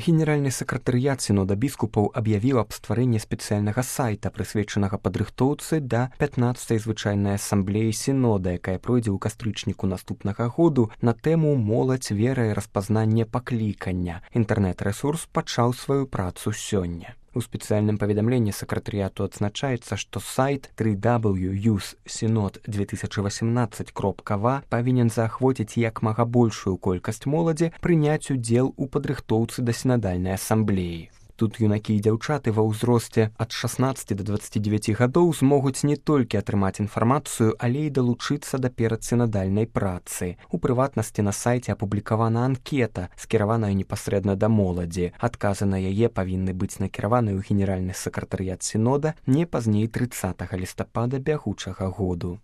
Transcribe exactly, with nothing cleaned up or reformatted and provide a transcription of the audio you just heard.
Генеральны сакратарыят сінода біскупаў аб'явіў аб стварэнні спецыяльнага сайта, прысвечанага падрыхтоўцы да пятнаццатай звычайнай асамблеі сінода, якая пройдзе ў кастрычніку наступнага году на тэму «Моладзь, вера і распазнанне паклікання». Інтэрнэт-рэсурс пачаў сваю працу сёння. У спецыяльным паведамленні сакратарыяту адзначаецца, што сайт тры дабл ю юс сінод две тысячы васемнаццаць кропка ва павінен заахвоціць як мага большую колькасць моладзі прыняць удзел у падрыхтоўцы да сінадальнай асамблеі. Тут юнакі і дзяўчаты ва ўзросце ад шаснаццаці да дваццаці дзевяці гадоў змогуць не толькі атрымаць інфармацыю, але і далучыцца да перадсінадальнай працы. У прыватнасці на сайце апублікавана анкета, скіраваная непасрэдна да моладзі. Адказы на яе павінны быць накіраваны ў генеральны сакратарыят сінода не пазней трыццатага лістапада бягучага году.